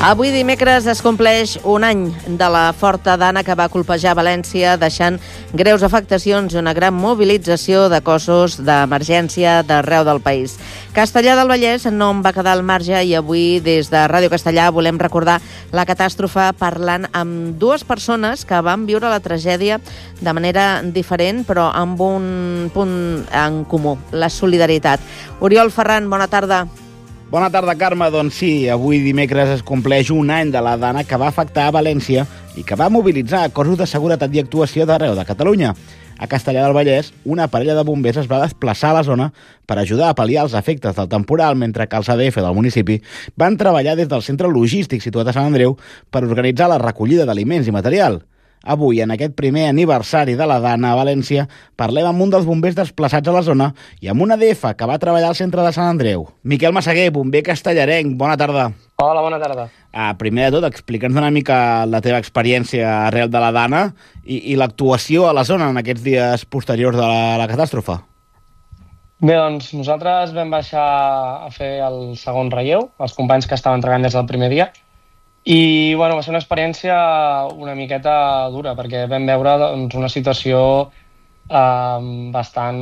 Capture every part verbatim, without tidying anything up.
Avui dimecres es compleix un any de la forta dana que va colpejar València, deixant greus afectacions i una gran mobilització de cossos d'emergència d'arreu del país. Castellar del Vallès no en va quedar al marge i avui des de Ràdio Castellar volem recordar la catàstrofe parlant amb dues persones que van viure la tragèdia de manera diferent però amb un punt en comú, la solidaritat. Oriol Ferran, bona tarda. Bona tarda, Carme. Doncs sí, avui dimecres es compleix un any de la dana que va afectar a València i que va mobilitzar cossos de seguretat i actuació d'arreu de Catalunya. A Castellar del Vallès, una parella de bombers es va desplaçar a la zona per ajudar a pal·liar els efectes del temporal, mentre que els A D F del municipi van treballar des del centre logístic situat a Sant Andreu per organitzar la recollida d'aliments i material. Avui, en aquest primer aniversari de la dana a València, parlem amb un dels bombers desplaçats a la zona i amb un A D F que va treballar al centre de Sant Andreu. Miquel Massaguer, bomber castellarenc, bona tarda. Hola, bona tarda. Ah, primer de tot, explica'ns una mica la teva experiència arrel de la dana i, i l'actuació a la zona en aquests dies posteriors de la, la catàstrofe. Bé, doncs nosaltres vam baixar a fer el segon relleu, els companys que estaven treballant des del primer dia, i bueno, va ser una experiència una miqueta dura, perquè vam veure doncs, una situació eh, bastant,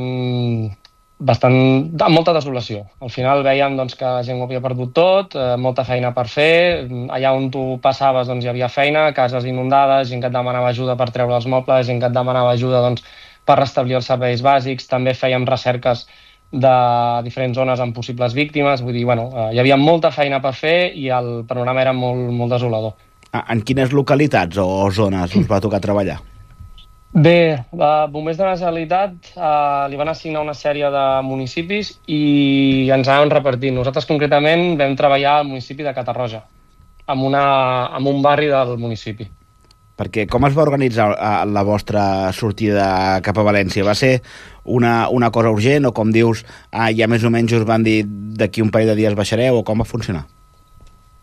bastant amb molta desolació. Al final veiem doncs, que la gent ho havia perdut tot, eh, molta feina per fer, allà on tu passaves doncs, hi havia feina, cases inundades, gent que et demanava ajuda per treure els mobles, gent que et demanava ajuda doncs, per restablir els serveis bàsics, també fèiem recerques de diferents zones amb possibles víctimes, vull dir, bueno, hi havia molta feina per fer i el panorama era molt, molt desolador. En quines localitats o zones us va tocar treballar? Bé, a Bombers de la Generalitat eh, li van assignar una sèrie de municipis i ens anaven repartint. Nosaltres concretament vam treballar al municipi de Catarroja, en, una, en un barri del municipi. Perquè com es va organitzar la vostra sortida cap a València? Va ser una, una cosa urgent o, com dius, ah, ja més o menys us van dir d'aquí un parell de dies baixareu, o com va funcionar?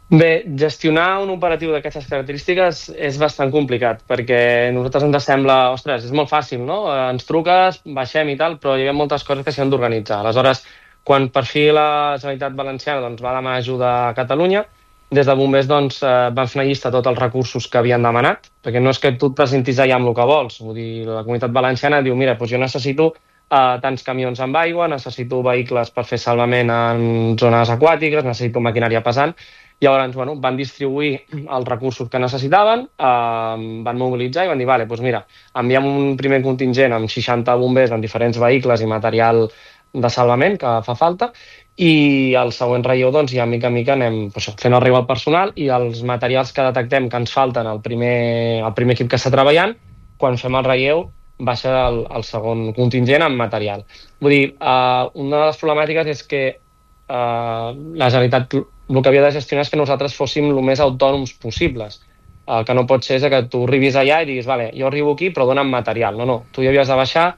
Bé, gestionar un operatiu d'aquestes característiques és bastant complicat, perquè a nosaltres ens sembla, ostres, és molt fàcil, no? Ens truques, baixem i tal, però hi ha moltes coses que s'han d'organitzar. Aleshores, quan per fi la Generalitat Valenciana doncs, va demanar ajuda a Catalunya, des de bombers doncs, eh, van fer una llista de tots els recursos que havien demanat, perquè no és que tu et presentis allà amb el que vols. Vull dir, la Comunitat Valenciana diu, mira, doncs jo necessito eh, tants camions amb aigua, necessito vehicles per fer salvament en zones aquàtiques, necessito maquinària pesant. Llavors, bueno, van distribuir els recursos que necessitaven, eh, van mobilitzar i van dir, vale, doncs mira, enviem un primer contingent amb seixanta bombers amb diferents vehicles i material de salvament que fa falta, i el següent relleu, doncs, ja mica en mica anem doncs, fent arribar el personal i els materials que detectem que ens falten al primer, al primer equip que està treballant, quan fem el relleu baixa el, el segon contingent amb material. Vull dir, eh, una de les problemàtiques és que eh, la Generalitat el que havia de gestionar és que nosaltres fóssim el més autònoms possibles. El que no pot ser és que tu arribis allà i diguis, vale, jo arribo aquí però dona'm material. No, no, tu hi havies de baixar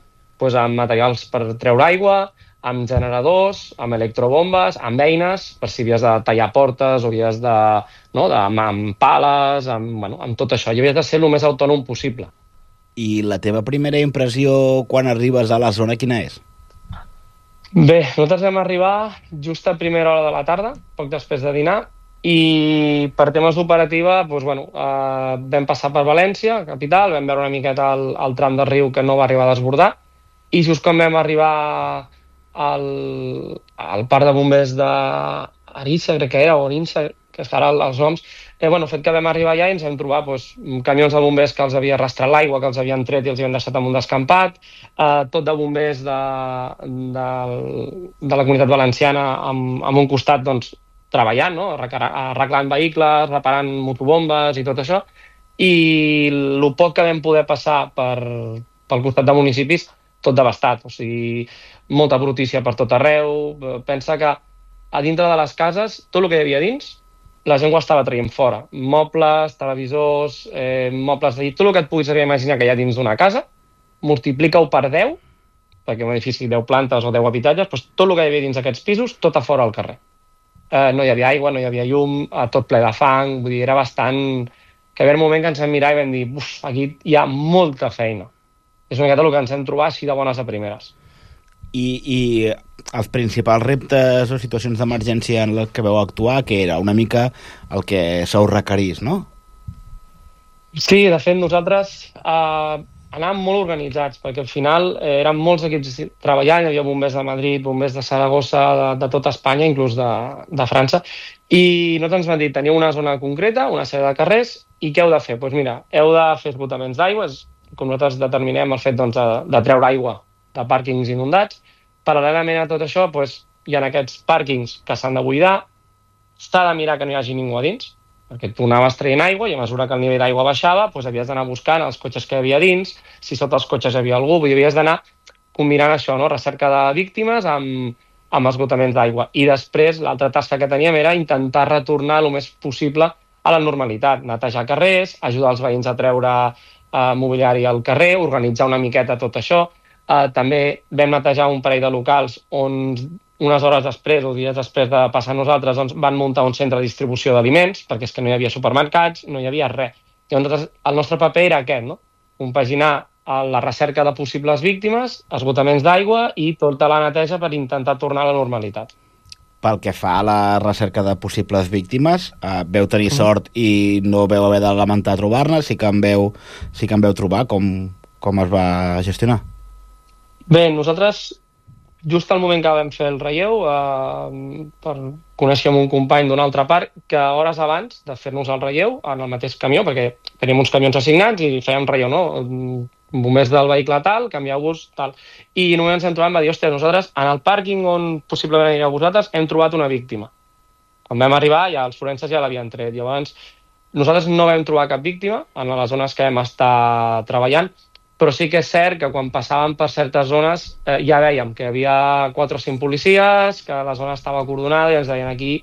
doncs, amb materials per treure aigua, amb generadors, amb electrobombes, amb eines, per si havies de tallar portes o havies de, no, de, amb pales, amb, bueno, amb tot això. I havies de ser el més autònom possible. I la teva primera impressió quan arribes a la zona, quina és? Bé, nosaltres vam arribar just a primera hora de la tarda, poc després de dinar, i per temes d'operativa doncs, bueno, eh, vam passar per València, capital, vam veure una miqueta el, el tram del riu que no va arribar a desbordar, i just quan vam arribar al, al parc de bombers d'Arissa, crec que era, o Arinsa, que és ara els noms, eh, bueno, fet que vam arribar allà i ens vam trobar doncs, camions de bombers que els havia arrastrat l'aigua, que els havien tret i els havien deixat en un descampat, eh, tot de bombers de, de, de la Comunitat Valenciana amb, amb un costat doncs, treballant, no? Arreglant vehicles, reparant motobombes i tot això, i el poc que vam poder passar per, pel costat de municipis, tot devastat, o sigui, molta brutícia per tot arreu. Pensa que a dintre de les cases, tot el que hi havia dins, la gent ho estava traient fora. Mobles, televisors, eh, mobles de llit, tot el que et puguis imaginar que hi ha dins d'una casa, multiplica-ho per deu, perquè un edifici deu plantes o deu habitatges, doncs tot el que hi havia dins d'aquests pisos, tot a fora al carrer. Eh, no hi havia aigua, no hi havia llum, tot ple de fang, vull dir, era bastant... que hi havia un moment que ens vam mirar i vam dir, uf, aquí hi ha molta feina. És una miqueta el que ens hem trobat així de bones a primeres. I, i els principals reptes o situacions d'emergència en les que veu actuar, que era una mica el que sou requerís, no? Sí, de fet, nosaltres eh, anàvem molt organitzats, perquè al final eh, eren molts equips treballant, hi havia bombers de Madrid, bombers de Saragossa, de, de tota Espanya, inclús de, de França, i nosaltres ens van dir, teniu una zona concreta, una sèrie de carrers, i què heu de fer? Doncs pues mira, heu de fer esgotaments d'aigua, com nosaltres determinem el fet doncs, de, de treure aigua de pàrquings inundats. Paral·lelament a tot això, doncs, hi ha aquests pàrquings que s'han de buidar, s'ha de mirar que no hi hagi ningú a dins, perquè tu anaves traient aigua i a mesura que el nivell d'aigua baixava, doncs havies d'anar buscant els cotxes que hi havia dins, si sota els cotxes hi havia algú, vull dir, havies d'anar combinant això, no? Recerca de víctimes amb, amb esgotaments d'aigua. I després l'altra tasca que teníem era intentar retornar el més possible a la normalitat, netejar carrers, ajudar els veïns a treure eh, mobiliari al carrer, organitzar una miqueta tot això. Eh, també vam netejar un parell de locals on unes hores després o dies després de passar nosaltres doncs, van muntar un centre de distribució d'aliments, perquè és que no hi havia supermercats, no hi havia res. Llavors, el nostre paper era aquest, no? Compaginar la recerca de possibles víctimes, esgotaments d'aigua i tota la neteja per intentar tornar a la normalitat. Pel que fa a la recerca de possibles víctimes, eh, veu tenir mm. sort i no veu haver de lamentar trobar-ne, sí que en veu, sí que en veu trobar. Com, com es va gestionar? Bé, nosaltres, just al moment que vam fer el relleu, eh, per conèixer un company d'una altra part, que hores abans de fer-nos el relleu, en el mateix camió, perquè teníem uns camions assignats i fèiem relleu, no? Bombers del vehicle tal, canvieu-vos tal. I només ens hem trobat, va dir, hòstia, nosaltres en el pàrquing on possiblement anireu vosaltres hem trobat una víctima. Quan vam arribar, ja els forenses ja l'havien tret. Llavors, nosaltres no vam trobar cap víctima en les zones que vam estar treballant, però sí que és cert que quan passàvem per certes zones eh, ja vèiem que hi havia quatre o cinc policies, que la zona estava acordonada i ens deien aquí,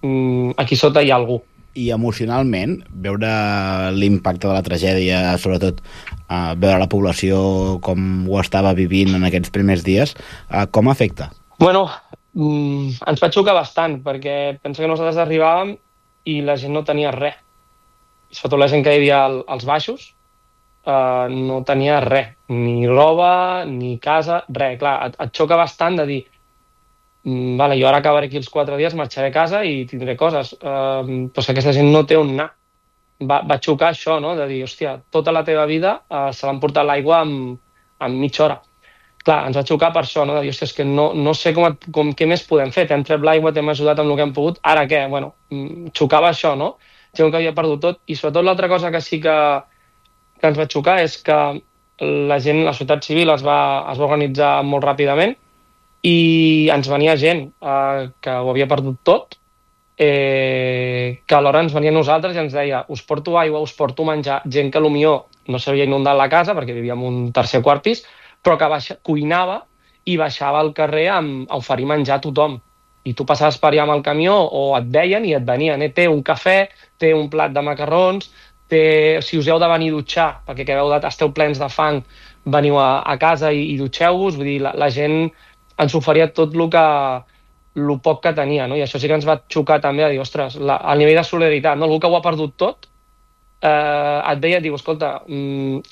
mm, aquí sota hi ha algú. I emocionalment, veure l'impacte de la tragèdia, sobretot eh, veure la població com ho estava vivint en aquests primers dies, eh, com afecta? Bueno, mm, ens va xocar bastant, perquè penso que nosaltres arribàvem i la gent no tenia res. Sobretot la gent que hi havia als baixos, eh, no tenia res, ni roba, ni casa, res. Clar, et, et xoca bastant de dir, vale, jo ara acabaré aquí els quatre dies, marxaré a casa i tindré coses, uh, però si aquesta gent no té on anar. Va, va xocar això, no?, de dir, hòstia, tota la teva vida uh, se l'han portat l'aigua en, en mitja hora. Clar, ens va xocar per això, no?, de dir, hòstia, és que no, no sé com, com, què més podem fer, t'hem tret l'aigua, t'hem ajudat amb el que hem pogut, ara què? Bueno, xocava això, no?, gent que havia perdut tot, i sobretot l'altra cosa que sí que, que ens va xocar és que la gent, la societat civil es va, es va organitzar molt ràpidament, i ens venia gent eh, que ho havia perdut tot, eh, que alhora ens venia a nosaltres i ens deia, us porto aigua, us porto menjar, gent que potser no s'havia inundat la casa perquè vivíem un tercer quart pis, però que baixa, cuinava i baixava al carrer amb, a oferir menjar a tothom. I tu passaves per allà amb el camió o et veien i et venien, eh? Té un cafè, té un plat de macarrons, té, si us heu de venir a dutxar, perquè que veu, esteu plens de fang, veniu a, a casa i, i dutxeu-vos, vull dir, la, la gent ens oferia tot el que el poc que tenia, no? I això sí que ens va xocar també a dir, ostres, la, el nivell de solidaritat, no? Algú que ho ha perdut tot, eh, et veia i et diu, escolta, mmm,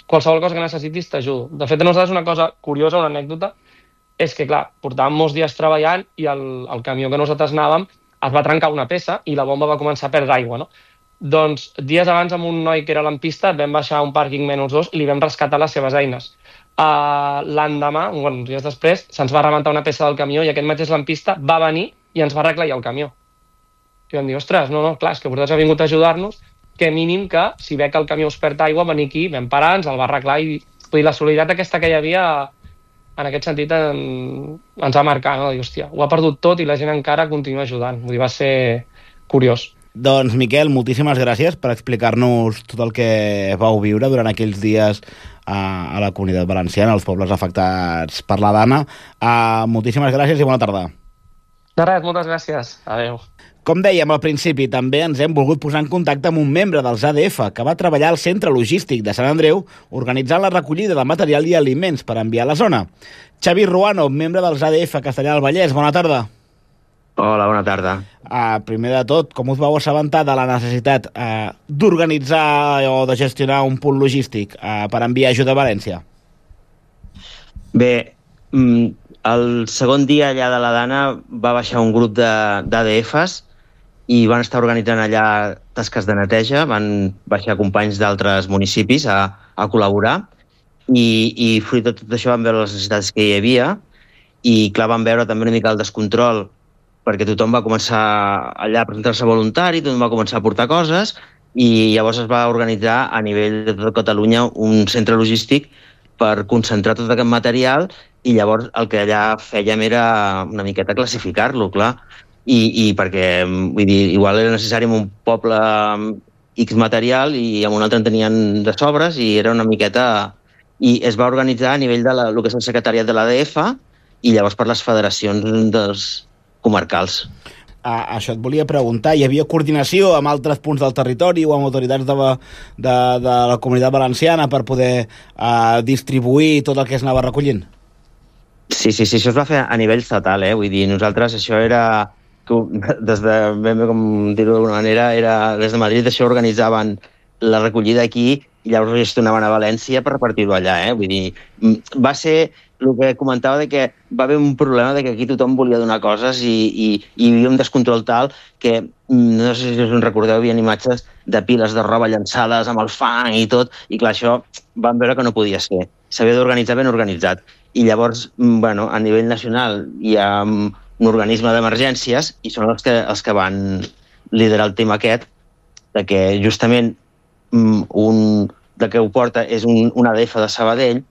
qualsevol cosa que necessitis t'ajudo. De fet, a nosaltres una cosa curiosa, una anècdota, és que, clar, portàvem molts dies treballant i el, el camió que nosaltres anàvem es va trencar una peça i la bomba va començar a perdre aigua, no? Doncs dies abans amb un noi que era lampista vam baixar a un pàrquing menys dos i li vam rescatar les seves eines. Uh, l'endemà, bueno, uns dies després, se'ns va rebentar una peça del camió i aquest mateix lampista va venir i ens va arreglar el camió. I vam dir, ostres, no, no, clar, és que vosaltres heu vingut a ajudar-nos, que mínim que, si ve que el camió us perd aigua, venir aquí, vam parar, ens el va arreglar i vull dir, la solidaritat aquesta que hi havia, en aquest sentit, en, ens va marcar, no? Dir, hòstia, ho ha perdut tot i la gent encara continua ajudant. Vull dir, va ser curiós. Doncs, Miquel, moltíssimes gràcies per explicar-nos tot el que vau viure durant aquells dies a, a la Comunitat Valenciana, als pobles afectats per la Dana. Uh, moltíssimes gràcies i bona tarda. De res, moltes gràcies. Adéu. Com dèiem al principi, també ens hem volgut posar en contacte amb un membre dels A D F que va treballar al Centre Logístic de Sant Andreu organitzant la recollida de material i aliments per enviar a la zona. Xavi Ruano, membre dels A D F Castellar del Vallès, bona tarda. Hola, bona tarda. Uh, primer de tot, com us vau assabentar de la necessitat uh, d'organitzar o de gestionar un punt logístic uh, per enviar ajuda a València? Bé, el segon dia allà de la Dana va baixar un grup d'A D Fs i van estar organitzant allà tasques de neteja, van baixar companys d'altres municipis a, a col·laborar i, i fruit de tot això van veure les necessitats que hi havia i clar, van veure també una mica el descontrol perquè tothom va començar allà a presentar-se voluntari, tothom va començar a portar coses i llavors es va organitzar a nivell de tota Catalunya un centre logístic per concentrar tot aquest material i llavors el que allà fèiem era una miqueta classificar-lo, clar, i, i perquè vull dir, igual era necessari en un poble X material i en un altre en tenien de sobres i era una miqueta... I es va organitzar a nivell de la, el que és el secretariat de l'A D F i llavors per les federacions dels comarcals. Ah, això et volia preguntar, hi havia coordinació amb altres punts del territori o amb autoritats de, de, de la Comunitat Valenciana per poder uh, distribuir tot el que es anava recollint? Sí, sí, sí, això es va fer a nivell estatal, eh? Vull dir, nosaltres això era, des de, ben bé com dir-ho d'alguna manera, era, des de Madrid això organitzaven la recollida aquí i llavors ho gestionaven a València per repartir-ho allà, eh? Vull dir, va ser el que comentava de que va haver un problema de que aquí tothom volia donar coses i, i, i hi havia un descontrol tal que, no sé si us en recordeu, hi havia imatges de piles de roba llançades amb el fang i tot, i clar, això van veure que no podia ser. S'havia d'organitzar ben organitzat. I llavors, bueno, a nivell nacional hi ha un organisme d'emergències i són els que, els que van liderar el tema aquest, de que justament un, de que ho porta és un, un A D F de Sabadell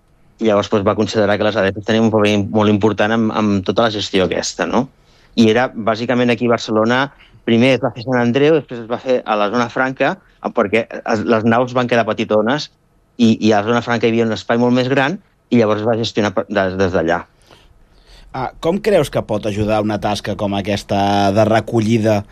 i llavors doncs, va considerar que les A D Fs tenien un paper molt important amb, amb tota la gestió aquesta, no? I era, bàsicament, aquí a Barcelona, primer es va fer Sant Andreu, després es va fer a la zona franca, perquè les naus van quedar petitones i, i a la zona franca hi havia un espai molt més gran i llavors es va gestionar des, des d'allà. Ah, com creus que pot ajudar una tasca com aquesta de recollida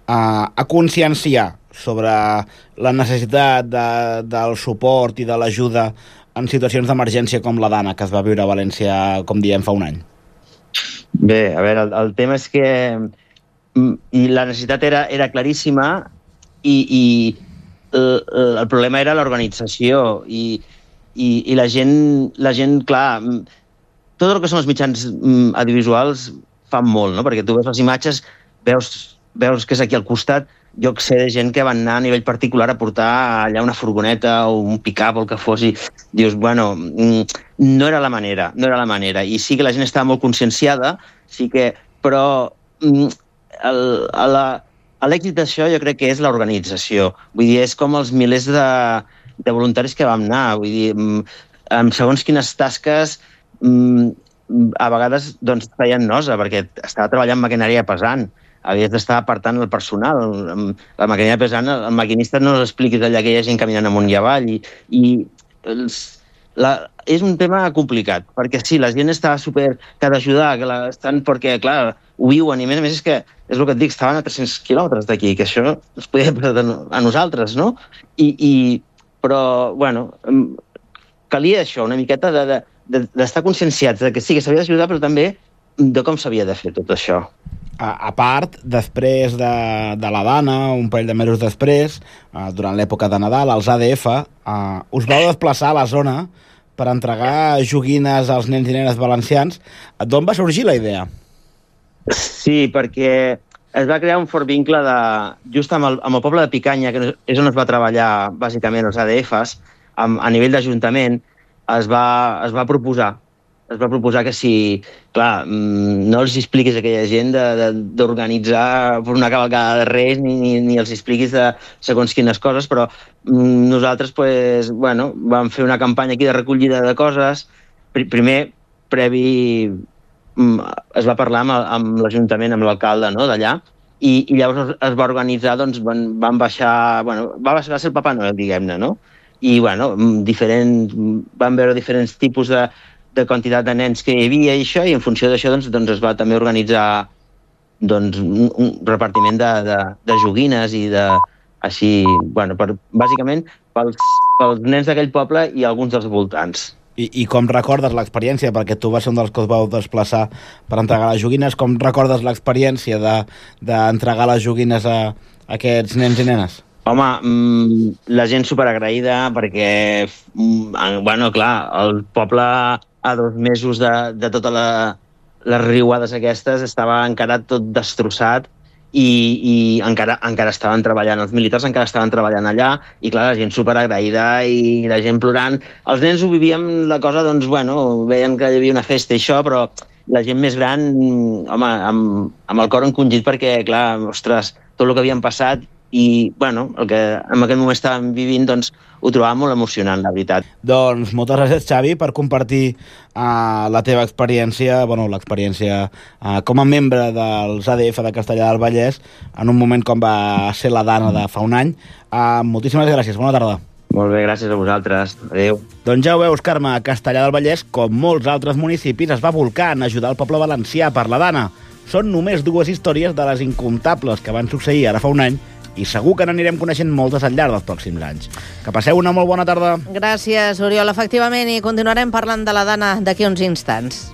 a, a conscienciar sobre la necessitat de, del suport i de l'ajuda en situacions d'emergència com la Dana, que es va viure a València, com diem, fa un any? Bé, a veure, el, el tema és que i la necessitat era, era claríssima i, i el, el problema era l'organització i, i, i la gent, la gent, clar, tot el que són els mitjans audiovisuals fan molt, no? Perquè tu veus les imatges, veus, veus que és aquí al costat, jo sé de gent que van anar a nivell particular a portar allà una furgoneta o un pick-up o el que fos i dius, bueno, no era la manera, no era la manera. I sí que la gent estava molt conscienciada, sí que, però l'èxit d'això jo crec que és l'organització. Vull dir, és com els milers de, de voluntaris que vam anar. Vull dir, amb segons quines tasques a vegades doncs, feien nosa perquè estava treballant maquinària pesant. Havies d'estar apartant el personal. La maquinària pesant, el maquinista no l'expliquis allà que hi ha gent caminant amunt i avall. I, i els, la, és un tema complicat, perquè sí, la gent està super... que ha d'ajudar, que la, estan perquè, clar, ho viuen, i a més a més és que, és el que et dic, estaven a tres-cents quilòmetres d'aquí, que això es podia passar a nosaltres, no? I, i, però, bueno, calia això, una miqueta de, de, d'estar conscienciats de que sí, que s'havia d'ajudar, però també de com s'havia de fer tot això. A, a part, després de, de la Dana, un parell de mesos després, eh, durant l'època de Nadal, als A D F, eh, us vau desplaçar a la zona per entregar joguines als nens i nenes valencians. D'on va sorgir la idea? Sí, perquè es va crear un fort vincle de, just amb el, amb el poble de Picanya, que és on es va treballar bàsicament els A D Fs, amb, a nivell d'Ajuntament, es va, es va proposar es va proposar que si, clar, no els expliquis a aquella gent d'organitzar una cavalcada de Reis ni, ni, ni els expliquis de segons quines coses, però nosaltres pues, bueno, vam fer una campanya aquí de recollida de coses. Primer, previ, es va parlar amb, amb l'Ajuntament, amb l'alcalde, no?, d'allà, i, i llavors es va organitzar, doncs van, van baixar, bueno, va baixar el Papa Noel, diguem-ne, no? I, bueno, diferent, van veure diferents tipus de de quantitat de nens que hi havia i això, i en funció d'això doncs, doncs es va també organitzar doncs, un, un repartiment de, de, de joguines i de, així, bueno, per, bàsicament pels, pels nens d'aquell poble i alguns dels voltants. I, I com recordes l'experiència? Perquè tu vas ser un dels que us vau desplaçar per entregar les joguines. Com recordes l'experiència d'entregar de, les joguines a, a aquests nens i nenes? Home, la gent superagraïda perquè, bueno, clar, el poble a dos mesos de, de totes la, les riuades aquestes, estava encara tot destrossat i, i encara, encara estaven treballant, els militars encara estaven treballant allà, i clar, la gent superagraïda i la gent plorant. Els nens ho vivíem la cosa, doncs, bueno, veien que hi havia una festa i això, però la gent més gran, home, amb, amb el cor encongit perquè, clar, ostres, tot el que havien passat i, bueno, el que en aquest moment estàvem vivint, doncs, ho trobàvem molt emocionant, la veritat. Doncs moltes gràcies, Xavi, per compartir uh, la teva experiència, bueno, l'experiència uh, com a membre dels A D F de Castellar del Vallès en un moment com va ser la Dana de fa un any. Uh, moltíssimes gràcies, bona tarda. Molt bé, gràcies a vosaltres. Adéu. Doncs ja ho veus, Carme, Castellar del Vallès, com molts altres municipis, es va volcar en ajudar el poble valencià per la Dana. Són només dues històries de les incomptables que van succeir ara fa un any i segur que n'anirem coneixent moltes al llarg dels pròxims anys. Que passeu una molt bona tarda. Gràcies, Oriol. Efectivament, i continuarem parlant de la Dana d'aquí uns instants.